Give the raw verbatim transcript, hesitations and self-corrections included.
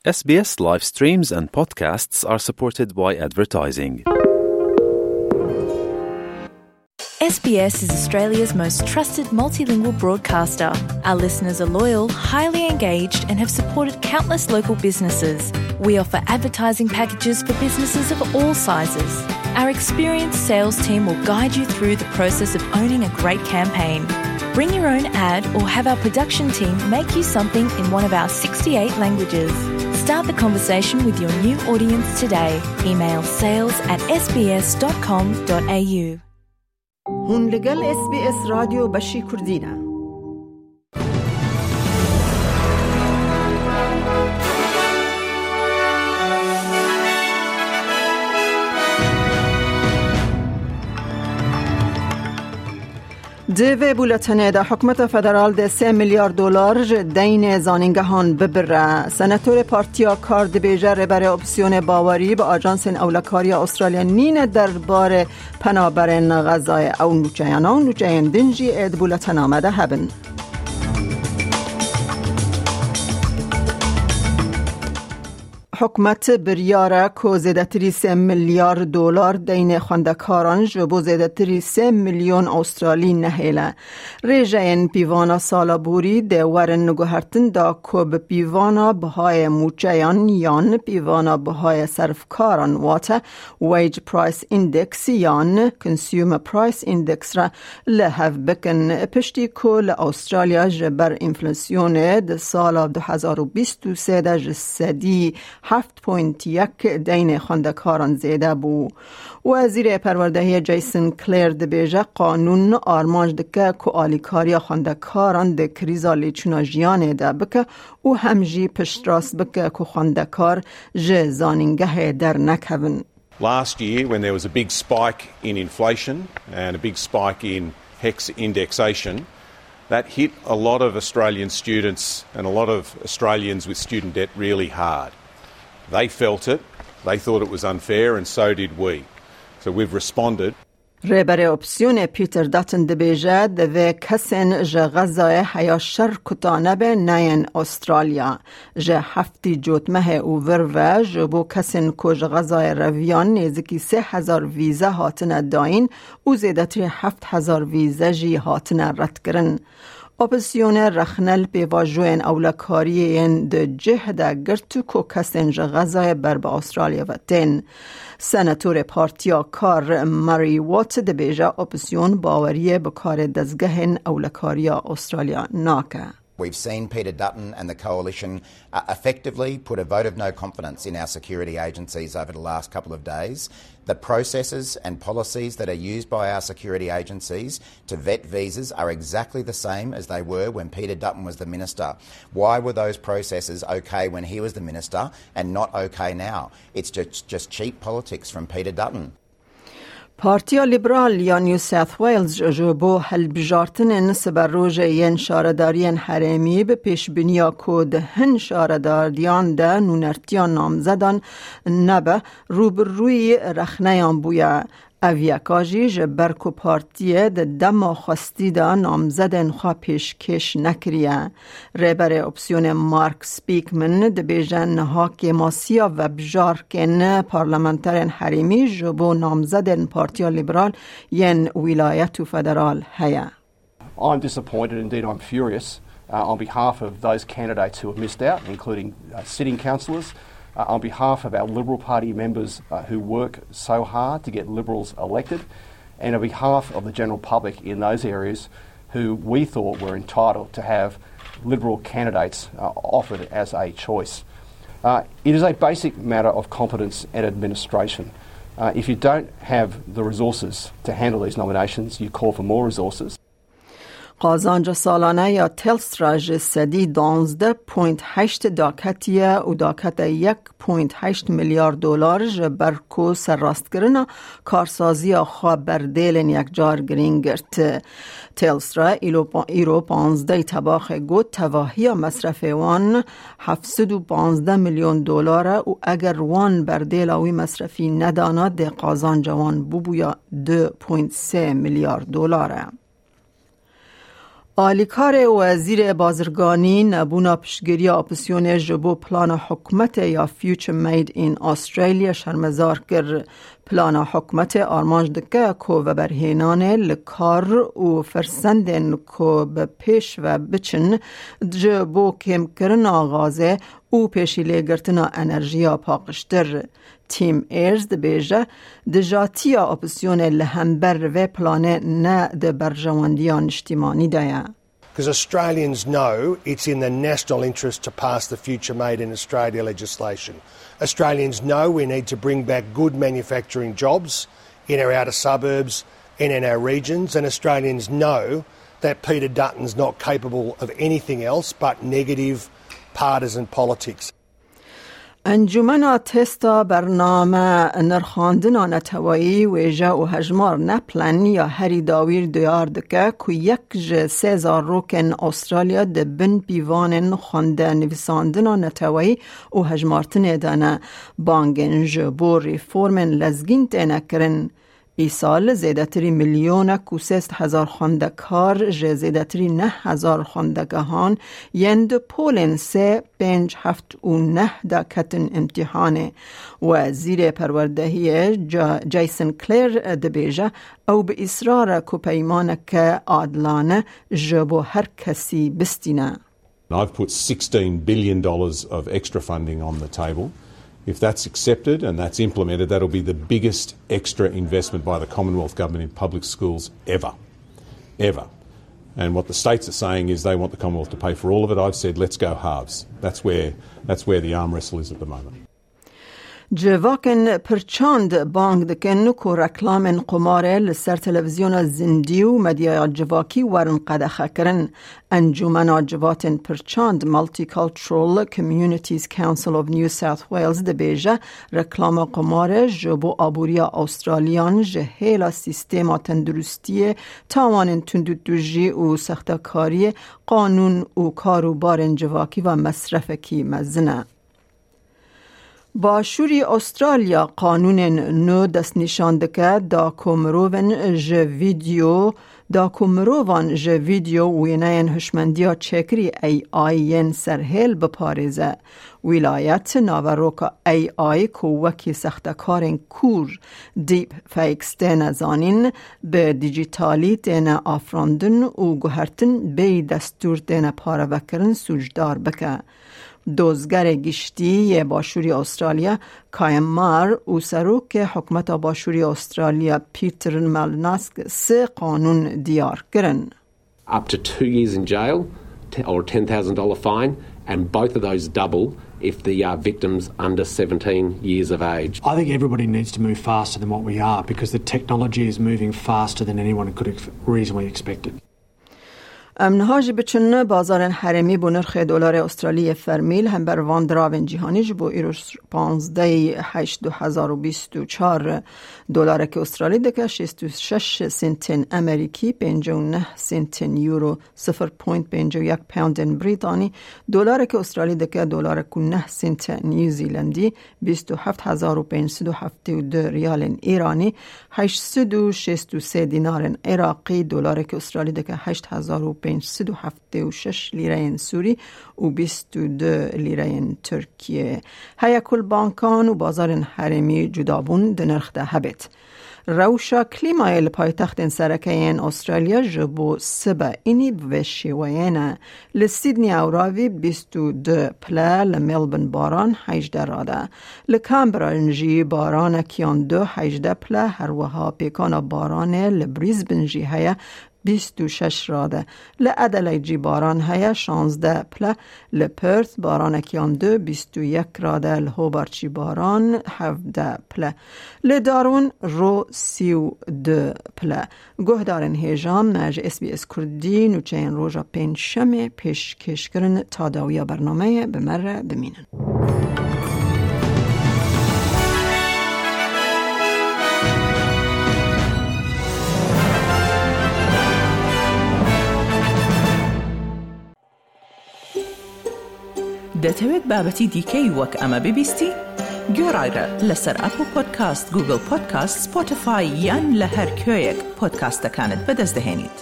S B S live streams and podcasts are supported by advertising. S B S is Australia's most trusted multilingual broadcaster. Our listeners are loyal, highly engaged, and have supported countless local businesses. We offer advertising packages for businesses of all sizes. Our experienced sales team will guide you through the process of owning a great campaign. Bring your own ad or have our production team make you something in one of our sixty-eight languages. Start the conversation with your new audience today. Email sales at S B S dot com dot A U. Hûn li gel S B S Radyo Beşî Kurdî ne. Di vê bûletenê de hikûmeta federal dê sê milyar dolar ji deynê zanîngehan bibire. Senatorê Partiya Kar dibêje rêberê opsiyonê bawerî bi ajansên ewlekariya Australya nîne derbarê penaberên Xezayê. Ew nûçeyana û nûçeyên din jî ê di bûletena me de hebin. Hikûmet biryar e ku zêdetirî sê milyar dolar deynê xwendekaran ji bo zêdetirî sê milyon Australî nehêle. Rêjeyên pîvana sala borî dê werin guhertin da ku bi pîvana bihayê mûçeyan yan pîvana bihayê serfkaran, wate Wage Price Index yan Consumer Price Index re li hev bikin, piştî ku li Australya ji ber enflasyonê di sala du hezar û bîst û sê de ji sedî heft point yek deynê xwendekaran zêde bû. Wezîrê Perwerdehiyê Jason Clare dibêje, qanûn armanc dike ku alîkariya xwendekaran di krîza lêçûna jiyanê de bike û hem jî piştrast bike ku xwendekar ji zanîngehê dernekevin. Last year, when there was a big spike in inflation and a big spike in HECS indexation, that hit a lot of Australian students and a lot of Australians with student debt really hard. They felt it, they thought it was unfair, and so did we. So we've responded. Rêberê opsiyonê Peter Dutton dibêje, divê kesên ji Xezayê heya şer kuta nebe neyên Australya. Ji heftî cotmehê û vir ve ji bo kesên ku ji Xezayê reviyan nêzikî sê hezar vîze hatine dayîn û zêdetirî heft hezar vîze jî hatine redkirin. Opsiyonê rexne li pêvajoyên ewlekariyê yên di cih de girt ku kesên ji Xezayê ber bi Australya ve tên. Senatorê Partiya Kar Murray Watt dibêje opsiyon baweriyê bi karê dezgehên ewlekariya Australya nake. We've seen Peter Dutton and the coalition, uh, effectively put a vote of no confidence in our security agencies over the last couple of days. The processes and policies that are used by our security agencies to vet visas are exactly the same as they were when Peter Dutton was the minister. Why were those processes okay when he was the minister and not okay now? It's just, just cheap politics from Peter Dutton. Partiya Liberal ya New South Wales ji bo hilbijartinên siberojê yên şaredariyên herêmî bi pêşbîniya ku di hin şaredariyan de nûnertiya namzedan nebe, rûbirûyî rexneyan bûye. Ev yeka jî ji ber ku partiyê di dema xwestî de namzedên xwe pêşkêş nekiriye. Rêberê opsiyonê Mark Speakman dibêje niha kêmasiya vebijarkên parlamenterên herêmî ji bo namzedên Partiya Liberal yên wîlayet û federal heye. I'm disappointed, indeed I'm furious, uh, on behalf of those candidates who have missed out, including, uh, sitting councillors, uh, on behalf of our Liberal Party members, uh, who work so hard to get Liberals elected, and on behalf of the general public in those areas who we thought were entitled to have Liberal candidates, uh, offered as a choice. Uh, it is a basic matter of competence and administration. Uh, if you don't have the resources to handle these nominations, you call for more resources. Qazanca salane ya Telstra ji sedî duwazdeh point heşt daketiye û dakete yek point heşt milyar dolar ji ber ku serrastkirina karsaziya xwe berdêlên yekcar girîng girt. Telstra îlo pa-, îro panzdeh tebaxê got tevahiya mesrefê wan heft sed û panzdeh milyon dolar e û eger wan berdêla wî mesrefî nedana dê qazanca wan bibûya du point sê milyar dolar e. Alîkarê Wezîrê Bazirganî nebûna piştgiriya opsiyonê ji bo plana hikûmetê ya Future Made in Australia şermezar kir. Plana hikûmetê armanc dike ku veberhênanê li kar û fersendên ku bi pêş ve biçin ji bo kêmkirina gazê û pêşîlêgirtina enerjiya paqijtir. Tim Ayres dibêje, dijatiya opsiyonê li hember vê planê ne di berjewendiya niştimanî de ye. Because Australians know it's in the national interest to pass the Future Made in Australia legislation. Australians know we need to bring back good manufacturing jobs in our outer suburbs and in our regions, and Australians know that Peter Dutton's not capable of anything else but negative partisan politics. Encûmena Testa Bername Nirxandina Neteweyî, Wêje û Hejmar, NEPLEN, ya herî dawî diyar dike ku yek ji sê zarokên Australya di bin pîvanên xwendenivîsandina neteweyî û hejmartinê de ne. Bangên ji bo reformên lezgîn têne kirin. Îsal zêdetirî milyonek û sê sed hezar xwendekar ji zêdetirî neh hezar xwendegehan yên di polên sê, pênc, heft û neh de ketin îmtîhanê. Wezîrê Perwerdehiyê Ja-, Jason Clare dibêje, ew bi îsrar e ku peymaneke adilane ji bo her kesî bistîne. I've put sixteen billion dollars of extra funding on the table. If that's accepted and that's implemented, that'll be the biggest extra investment by the Commonwealth Government in public schools ever. Ever. And what the states are saying is they want the Commonwealth to pay for all of it. I've said, "Let's go halves." That's where, that's where the arm wrestle is at the moment. Civakên pirçand bang dikin ku reklamên qumarê li ser televîzyona zindî û medyaya civakî werin qedexekirin. Encûmena Civatên Pirçand, Multicultural Communities Council of New South Wales, dibêje, reklama qumarê ji bo aboriya Australiyan ji hêla sîstema tenduristiyê, tawanên tundûtûjî û sextekariyê, qanûn û kar û barên civakî ve mesrefekî mezin e. Başûrî Australya qanûnên nû destnîşan dike, da ku mirovên ji vîdeo, da ku mirovan ji vîdeo û wêneyên hişmendiya çêkirî A I yên serhêl biparêze. Wîlayet naveroka A I ku wekî sextekarên kûr, deepfakes, têne zanîn, bi dîjîtalî têne afirandin û guhertin bêyî destûr têne parevekirin sûcdar bike. Dozgerê Giştî yê Başûrî Australya, Kayam Mar, û Serokê Hikûmeta Başûrî Australya, Peter Malnask, sê qanûn diyar kirin. Up to two years in jail te- or a ten thousand dollar fine, and both of those double if the uh, victim's under seventeen years of age. I think everybody needs to move faster than what we are, because the technology is moving faster than anyone could ex- reasonably expect it. Em niha jî biçin bazarên herêmî bo nirxê dolarê Australiyê fermî. Li hember van diravên cîhanî ji bo îro panzdeh heşt du hezar û bîst û çar, dolarekî Australî dike şêst û şeş sentên Amerîkî, pêncî û neh sentên Euro, sifir point pêncî û yek poundên Brîtanî, dolarekî Australî dike dolarek û neh sente New Zealandî, bîst û heft hezar û pênc sed û heftê û du riyalên Îranî, heşt sed û şêst û sê dînarên Iraqî, dolarekî Australî dike heşt hezar û pênc sed û heftê û şeş lîreyên Sûrî û bîst û du lîreyên Tirkiyê. Heye ku li bankan û bazarên herêmî cudabûn di nirx de hebêt. Rewşa klîmayê li paytextên sereke yên Australya ji bo sibe înî bi vê şêweyê ne. Li Sydney ewravî bîst û du pile, li Melbourne baran hejdeh rade. Li Canberra jî baranek yan du hejdeh pile, her wiha pêkana baranê li Brisbane jî heye, bîst û şeş rade. Li Adelaide jî baran heye, şazdeh pile, li Perth baranek yan du, bîst û yek rade, li Hobart jî baran hevdeh pile. Li Darwin ro sî û du pile. Guhdarên hêja me ji S B S Kurdî nûçeyên roja pêncşemê pêşkêş kirin. Ta dawiya bernameyê bi me re bimînin. دەتەوێت بابەتی دیکەی وەک ئەمە ببیستی؟ گوێڕایرە لەسەر ئەپڵ پۆدکاست، گوگڵ پۆدکاست، سپۆتیفای یان لە هەر کوێیەک پۆدکاستەکانت بەدەست دەهێنیت.